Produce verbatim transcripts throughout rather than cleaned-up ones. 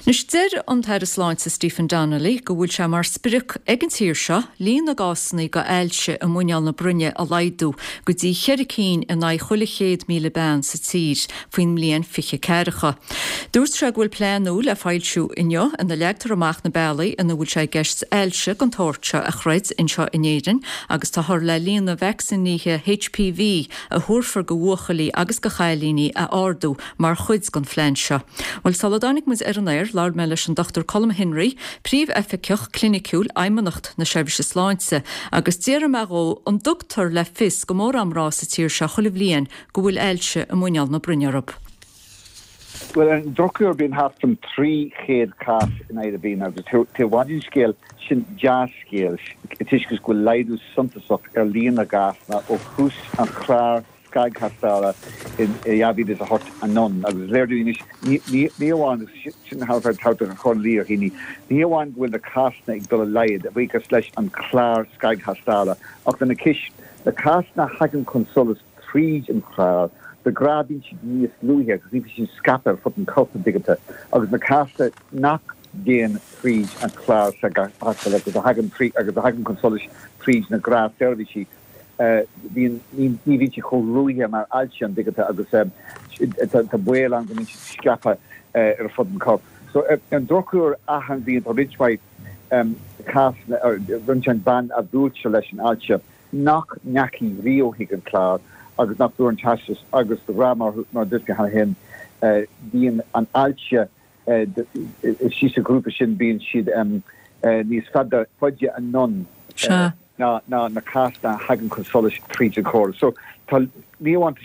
Anois deir an tAire Sláinte Stephen Donnelly go bhfuil sé mar sprioc ag an tír seo líon na gcásanna d'ailse i muineál na broinne a laghdú go dtí ceithre cinn in aghaidh chuile chéad míle bean sa tír faoin mbliain fiche ceathracha. Dúirt sé go bhfuil plean nua le foilsiú inniu ina leagtar amach na bealaí ina bhfuil sé i gceist ailse den tsórt seo a throid anseo in Éirinn agus táthar le líon na vacsaínithe HPV a thabharfar do bhuachaillí agus do chailíní a ardú mar chuid den phlean seo. Well sula dtáinig muid ar an aer labhair mé leis an Dr Colm Henry, príomhoifigeach cliniciúil Fheidhmeannacht na Seirbhíse Sláinte, agus d'iarr mé dhó an dtugtar le fios go mórán mná sa tír seo chuile bhliain go bhfuil ailse i muineál na broinne orthu. Well an drochuair bíonn thart an trí chéad cás in aghaidh na bliana agus tá an scéal sin dea-scéal toisc go bhfuil laghdú suntasach ar líon na gcásanna ó thús an chlár scagthástála in dhá mhíle is a hocht anonn agus léir dúinn ní amháin sin thart chun líar ní ní amháin go bhfuil na cásanna ag dul i laghad a bhuíochas leis an chlár scagthástála ach lena chois na cásanna a thagann chun solais tríd an chlár de ghnáth bíonn siad níos luaithe agus ní sin scaipthe ar fud an choirp digite agus na cásanna nach dtéann tríd an chlár scagthástála agus a thagann trí agus a thagann chun solais tríd na gnáthsheirbhísí bhíonn ní bhíonn siad chomh luath mar ailse an digite agus tá baol ann go mbíonn siad scaipthe ar fud an choirp. So an drochuair achan bhliain tá roinnt mhaith cásanna roinnt ban a bhuailtear leis an ailse nach ndeachaigh riamh chuig an chlár agus nach bhfuair an teastas agus de ghnáth mar mar dúirt mé cheana féin bíonn an ailse sí sa ghrúpa sin bíonn siad níos fada faide anonn ná ná na cásanna a thagann chun solais tríd an chóras. So tá ní amháin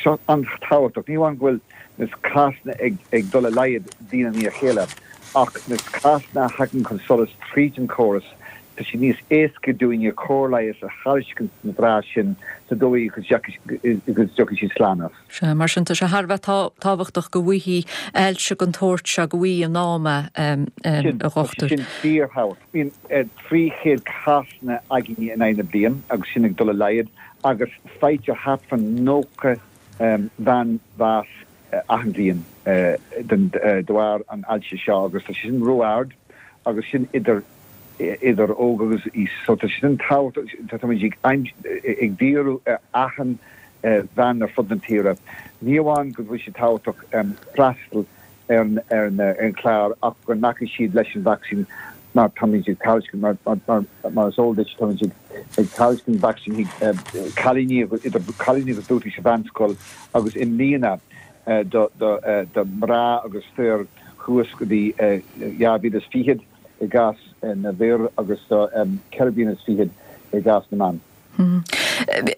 seo an-tábhachtach, ní amháin go bhfuil na cásanna ag ag dul i laghad bliain i ndiaidh a chéile, ach na cásanna a thagann chun solais tríd an chóras, tá sé níos éasca dúinne cóir leighis a thairiscint na mná sin sa dóigh go dtiocfaidh siad slán as. Sea, mar sin tá sé thar a bheith tábhachtach go bhfaighidh ailse den tsórt seo go bhfaighidh in am é, a dhochtúir. Sin fíorthábhachtach. Bíonn trí chéad cásanna againne in aghaidh na bliain agus sin ag dul i laghad agus faightear thart fán nócha bhean bás achan bhliain de bharr an ailse seo agus tá sé sin ró-ard agus sin idir idir óg agus aois. So tá sin tábhachtach táimid ag ag díriú ar achan bhean ar fud na tíre. Ní amháin go bhfuil sé tábhachtach freastal ar ar an chlár ach go nglacfaidh siad leis an vacsaín mar táimid ag tairiscint mar mar mar is eol duit táimid ag tairiscint vacsaín cailíní idir cailíní agus buachaillí sa mheánscoil agus i mbliana do do do mná agus fir thuas go dtí dhá mhíle is fichead i gcás na bhfir agus do ceithre bliana is fichead i gcás na mban.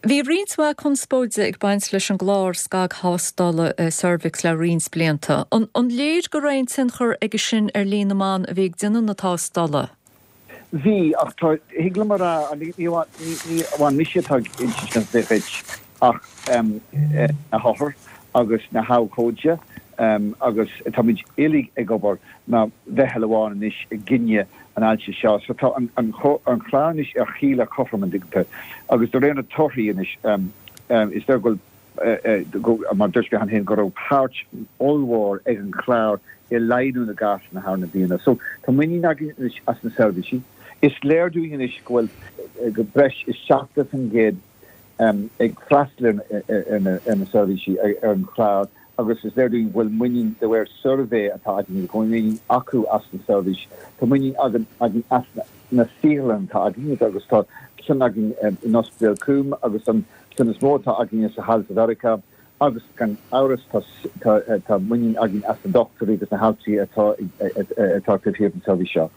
Bhí roinnt mhaith conspóide ag baint leis an gclár scagthástála cervix le roinnt blianta. An, an léir go raibh aon tionchar aige sin ar líon na mban a bhí ag déanamh na tástála? Bhí ach tá thig liom a rá ní ní amháin mise atá ag insint duit ach na hothair agus na habhcóide agus táimid uilig ag obair mar mheitheal amháin anois i gcoinne an ailse seo. So tá an, an, an chlár anois ar chíle cothrom an digite agus de réir na torthaí anois is léir go mar dúirt mé cheana féin go raibh páirt ollmhór ag an chlár i laghdú na gcásanna thar na bliana. So tá muinín againn anois as na seirbhísí. Is léir dúinn anois go bhfuil go breis is seachtó faoin gcéad ag freastal ar na seirbhísí ar an chlár agus is léir dúinn go bhfuil muinín de réir suirbhé atá againn go bhfuil muinín acu as na seirbhís. Tá muinín againn againn as na saotharlanna atá againn agus tá ceann againn in Ospidéal Coombe agus an ceann is mó atá againn sa hall sa Mheiriceá agus gan amhras tá muinín againn as na dochtúirí agus na haltraí atá atá taobh thiar den seirbhís seo.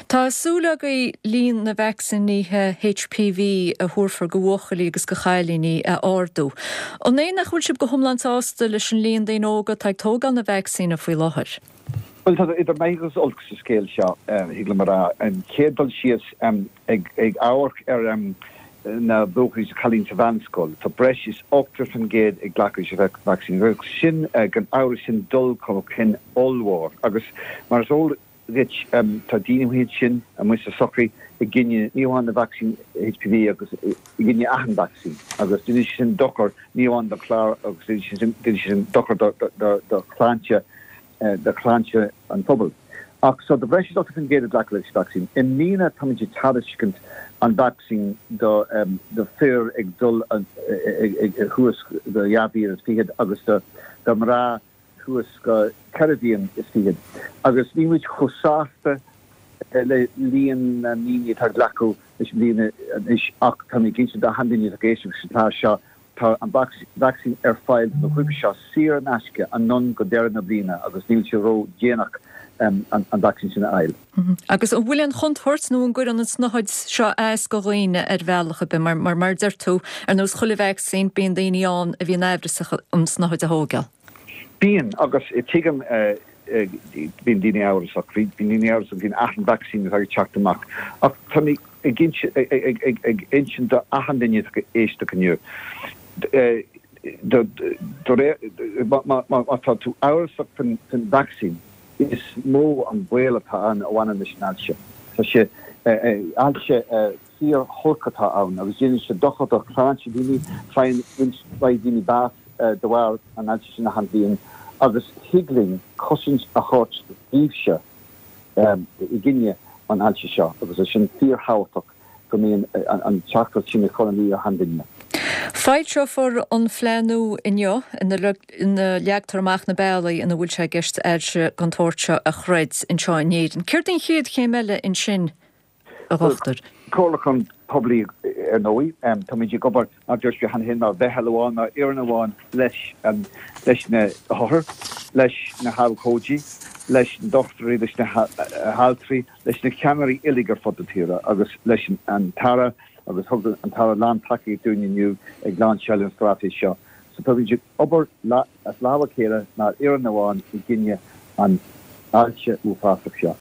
Tá súil agaibh líon na vacsaínithe HPV a thabharfar do bhuachaillí agus do chailíní a ardú. An é nach bhfuil sibh go hiomlán sásta leis an líon daoine óga atá ag tógáil na vacsaíne faoi láthair? Well tá idir maith agus olc sa scéal seo thig liom a rá an chéad dul síos ag ag amharc ar na buachaillí is cailíní sa mheánscoil. Tá breis is ochtó faoin gcéad ag glacadh leis an vacsaín. Sin gan amhras sin dul chun cinn ollmhór agus mar is eol duit tá daoine iad sin amuigh sa sochaí i gcoinne ní amháin na vacsaín HPV agus i gcoinne achan vacsaín agus déanann sin dochar ní amháin don chlár agus déanann sin dochar do shláinte do shláinte an phobail. Ach so tá breis is ochtó faoin gcéad ag glacadh leis an vacsaín. I mbliana táimid ag tairiscint an vacsaín do do fir ag dul thuas go dhá bhliain is fichead agus do do mná thuas go ceithre bhliain is fichead. Agus níl muid chomh sásta le líon na ndaoine atá ag glacadh leis i mbliana anois ach tá mé ag insint d'achan duine atá ag éisteacht leis an chlár seo Tá an vacsaín ar fáil do na grúpaí seo saor in aisce anonn go deireadh na bliana agus níl sé ró-dhéanach an vacsaín sin a fháil. Agus an bhfuil aon chontúirt nó an gcuireann an tsnáthaid seo as do dhaoine ar bhealach ar bith? Mar, mar, mar a deir tú, ar nós chuile vacsaín, bíonn daoine ann a bhíonn amhrasach an tsnáthaid a thógáil. Bíonn, agus tuigim bíonn daoine amhrasach, bíonn daoine amhrasach faoin achan vacsaín atá ag teacht amach. Ach tá mé ag insint do achan duine atá ag éisteacht inniu, má tá tú amhrasach faoin vacsaín, is mó an baol atá ann a bhaineann leis an ailse. Tá sé ailse fíor-olc atá ann agus déanann sé dochar do shláinte daoine, faigheann roinnt mhaith daoine bás de bharr an ailse sin achan bhliain agus thig linn cosaint a thabhairt daoibhse i gcoinne an ailse seo agus é sin fíorthábhachtach go mbíonn an teachtaireacht sin ag cur in iúl d'achan duine. Foilseofar an phlean nua inniu ina leagtar amach na bealaí ina bhfuil sé i gceist ailse den tsórt seo a throid anseo in Éirinn. Céard í an chéad chéim eile ansin, a Dhochtúir? Comhairliúchán poiblí ar ndóigh. Táimid ag obair, mar a dúirt mé cheana féin, mar mheitheal amháin, mar fhoireann amháin leis leis na hothair, leis na habhcóidí, leis na dochtúirí, leis na haltraí, leis na ceannairí uilig ar fud na tíre agus leis an tAire agus thug an tAire lántacaíocht dúinn inniu ag lainseáil an straitéis seo. So táimid ag obair as lámh a chéile mar fhoireann amháin i gcoinne an ailse uafásach seo.